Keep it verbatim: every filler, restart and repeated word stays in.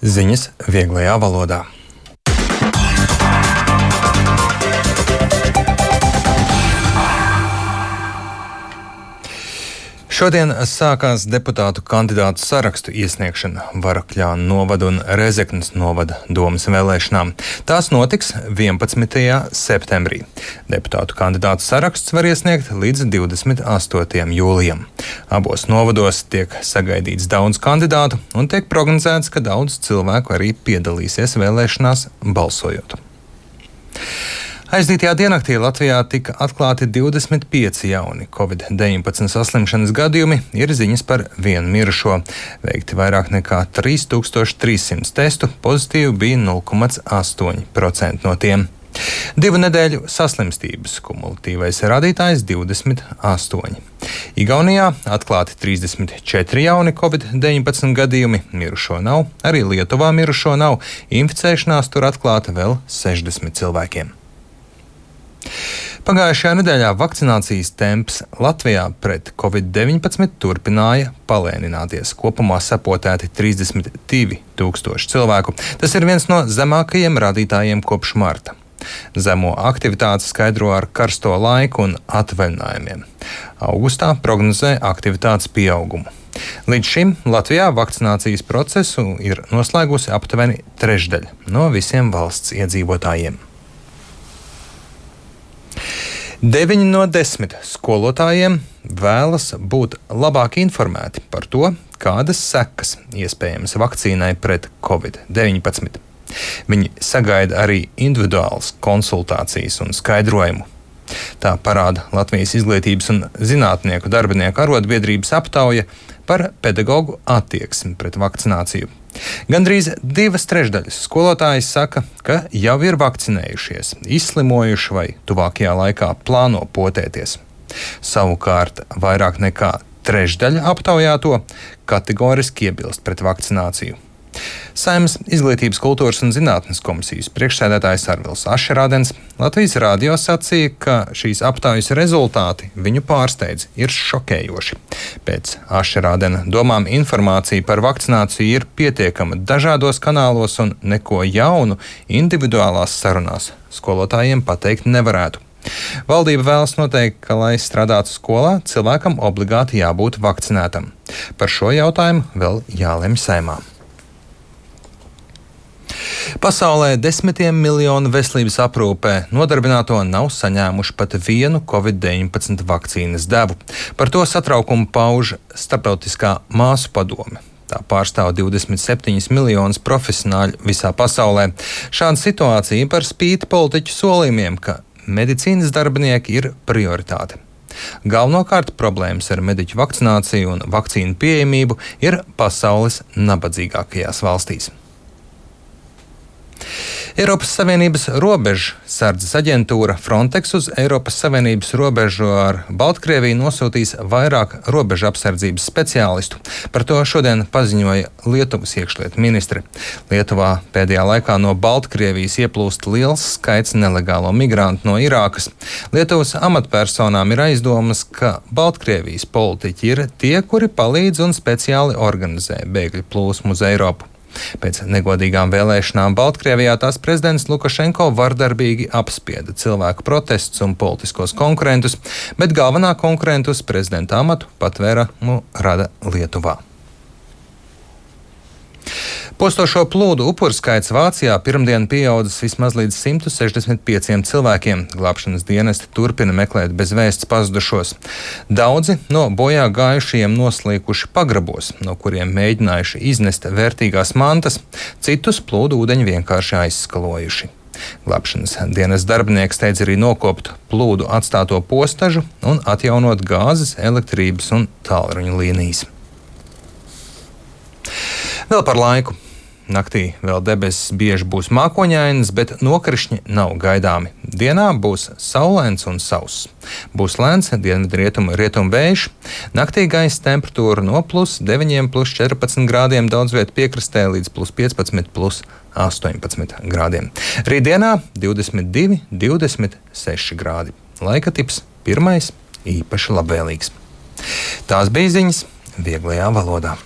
Ziņas vieglajā valodā. Šodien sākās deputātu kandidātu sarakstu iesniegšana Varakļānu novada un Rezeknes novada domes vēlēšanām. Tās notiks vienpadsmitajā septembrī. Deputātu kandidātu saraksts var iesniegt līdz divdesmit astotajam jūlijam. Abos novados tiek sagaidīts daudz kandidātu un tiek prognozēts, ka daudz cilvēku arī piedalīsies vēlēšanās balsojot. Aizdītajā diennaktī Latvijā tika atklāti divdesmit pieci jauni covid deviņpadsmit saslimšanas gadījumi, ir ziņas par vienu mirušo. Veikti vairāk nekā trīs tūkstoši trīs simti testu, pozitīvi bija nulle komats astoņi procenti no tiem. Divu nedēļu saslimstības kumulatīvais rādītājs divdesmit astoņi. Igaunijā atklāti trīsdesmit četri jauni covid deviņpadsmit gadījumi, mirušo nav, arī Lietuvā mirušo nav, inficēšanās tur atklāta vēl sešdesmit cilvēkiem. Pagājušajā nedēļā vakcinācijas temps Latvijā pret covid deviņpadsmit turpināja palēnināties. Kopumā sapotēti trīsdesmit divi tūkstoši cilvēku. Tas ir viens no zemākajiem rādītājiem kopš marta. Zemo aktivitāti skaidro ar karsto laiku un atvaļinājumiem. Augustā prognozē aktivitātes pieaugumu. Līdz šim Latvijā vakcinācijas procesu ir noslēgusi aptuveni trešdaļa no visiem valsts iedzīvotājiem. Deviņi no desmit skolotājiem vēlas būt labāk informēti par to, kādas sekas iespējamas vakcīnai pret covid deviņpadsmit. Viņi sagaida arī individuālas konsultācijas un skaidrojumu. Tā parāda Latvijas Izglītības un zinātnieku darbinieku arotbiedrības aptauja par pedagoģu attieksmi pret vakcināciju. Gandrīz divas trešdaļas skolotāji saka, ka jau ir vakcinējušies, izslimojuši vai tuvākajā laikā plāno potēties. Savukārt vairāk nekā trešdaļa aptaujāto kategoriski iebilst pret vakcināciju. Saeimas Izglītības, kultūras un zinātnes komisijas priekšsēdētājs Arvils Ašerādens Latvijas radio sacīja, ka šīs aptaujas rezultāti viņu pārsteidz, ir šokējoši. Pēc Ašerādena domām informācija par vakcināciju ir pietiekama dažādos kanālos un neko jaunu individuālās sarunās skolotājiem pateikt nevarētu. Valdība vēlas noteikt, ka, lai strādātu skolā, cilvēkam obligāti jābūt vakcinētam. Par šo jautājumu vēl jālemj Saeimā. Pasaulē desmitiem miljonu veselības aprūpē nodarbināto nav saņēmuši pat vienu covid deviņpadsmit vakcīnas devu. Par to satraukumu pauž Starptautiskā māsu padome. Tā pārstāv divdesmit septiņus miljonus profesionāļu visā pasaulē. Šāda situācija par spīti politiķu solījumiem, ka medicīnas darbinieki ir prioritāte. Galvenokārt problēmas ar mediķu vakcināciju un vakcīnu pieejamību ir pasaules nabadzīgākajās valstīs. Eiropas Savienības robežu sardzes aģentūra Frontex uz Eiropas Savienības robežu ar Baltkrieviju nosūtīs vairāk robežu apsardzības speciālistu. Par to šodien paziņoja Lietuvas iekšlietu ministre. Lietuvā pēdējā laikā no Baltkrievijas ieplūst liels skaits nelegālo migrantu no Irākas. Lietuvas amatpersonām ir aizdomas, ka Baltkrievijas politiķi ir tie, kuri palīdz un speciāli organizē bēgļu plūsmu uz Eiropu. Pēc negodīgām vēlēšanām Baltkrievijā tās prezidents Lukašenko vardarbīgi apspieda cilvēku protestus un politiskos konkurentus, bet galvenā konkurenta uz prezidenta amatu patvērumu rada Lietuvā. Postošo plūdu upuru skaits Vācijā pirmdien pieaudzis vismaz līdz simt sešdesmit pieciem cilvēkiem. Glābšanas dienesti turpina meklēt bez vēsts pazudušos. Daudzi no bojā gājušajiem noslīkuši pagrabos, no kuriem mēģinājuši iznest vērtīgās mantas, citus plūdu ūdeņi vienkārši aizskalojuši. Glābšanas dienas darbinieks steidz arī nokopt plūdu atstāto postažu un atjaunot gāzes, elektrības un tālruņa līnijas. Vēl par laiku. Naktī vēl debesis bieži būs mākoņainas, bet nokrišņi nav gaidāmi. Dienā būs saulains un sauss. Būs lēns dienvidrietumu rietumu vējš. Naktī gaisa temperatūra no plus deviņiem, plus četrpadsmit grādiem, daudz vietu piekrastē līdz plus piecpadsmit, plus astoņpadsmit grādiem. Rītdienā divdesmit divi, divdesmit seši grādi. Laika tips pirmais īpaši labvēlīgs. Tās bija ziņas vieglajā valodā.